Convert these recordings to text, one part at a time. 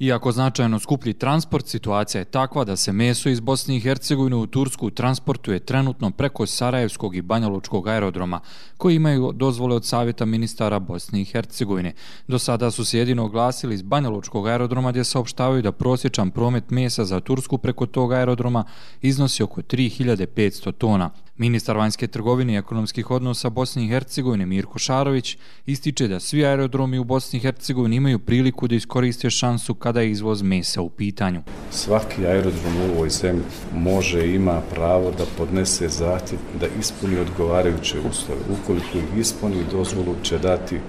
Iako značajno skuplji transport, situacija je takva da se meso iz Bosne i Hercegovine u Tursku transportuje trenutno preko Sarajevskog i Banjalučkog aerodroma, koji imaju dozvole od Savjeta ministara Bosne i Hercegovine. Do sada su se jedino oglasili iz Banjalučkog aerodroma gdje saopštavaju da prosječan promet mesa za Tursku preko tog aerodroma iznosi oko 3500 tona. Ministar vanjske trgovine i ekonomskih odnosa Bosne i Hercegovine Mirko Šarović ističe da svi aerodromi u Bosni i Hercegovini imaju priliku da iskoriste šansu kada je izvoz mesa u pitanju. Svaki aerodrom u ovoj zemlji može i ima pravo da podnese zahtjev da ispuni odgovarajuće uslove. Ukoliko ih ispuni, dozvolu će dati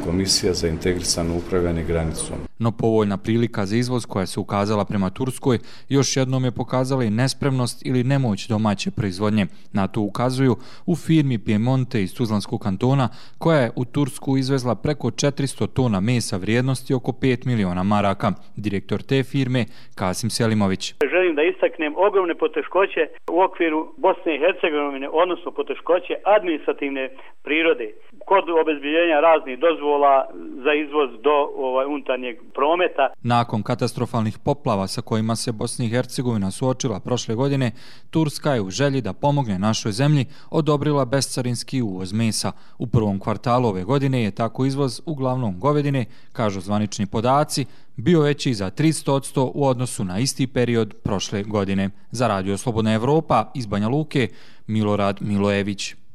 Komisija za integrisano upravljanje granicom. No povoljna prilika za izvoz koja se ukazala prema Turskoj još jednom je pokazala i nespremnost ili nemoć domaće proizvodnje. Na to ukazuju u firmi Piemonte iz Tuzlanskog kantona koja je u Tursku izvezla preko 400 tona mesa vrijednosti oko 5 miliona maraka. Direktor te firme Kasim Selimović. Želim da istaknem ogromne poteškoće u okviru Bosne i Hercegovine, odnosno poteškoće administrativne prirode kod obezbiljenja raznih dozvola za izvoz do unutarnjeg prometa. Nakon katastrofalnih poplava sa kojima se Bosna i Hercegovina suočila prošle godine, Turska je u želji da pomogne našoj zemlji odobrila bescarinski uvoz mesa. U prvom kvartalu ove godine je tako izvoz uglavnom govedine, kažu zvanični podaci, bio veći za 300% u odnosu na isti period prošle godine. Za Radio Slobodna Evropa iz Banja Luke, Milorad Milojević.